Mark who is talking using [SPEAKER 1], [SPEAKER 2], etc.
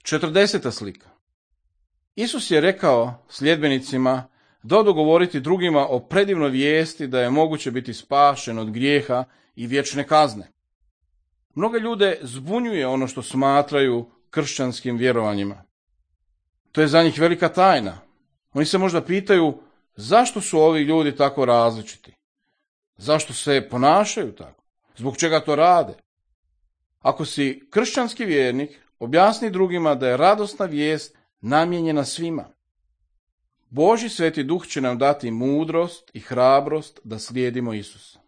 [SPEAKER 1] 40. slika. Isus je rekao sljedbenicima da odu govoriti drugima o predivnoj vijesti da je moguće biti spašen od grijeha i vječne kazne. Mnoge ljude zbunjuje ono što smatraju kršćanskim vjerovanjima. To je za njih velika tajna. Oni se možda pitaju zašto su ovi ljudi tako različiti? Zašto se ponašaju tako? Zbog čega to rade? Ako si kršćanski vjernik, objasni drugima da je radosna vijest namijenjena svima. Božji Sveti Duh će nam dati mudrost i hrabrost da slijedimo Isusa.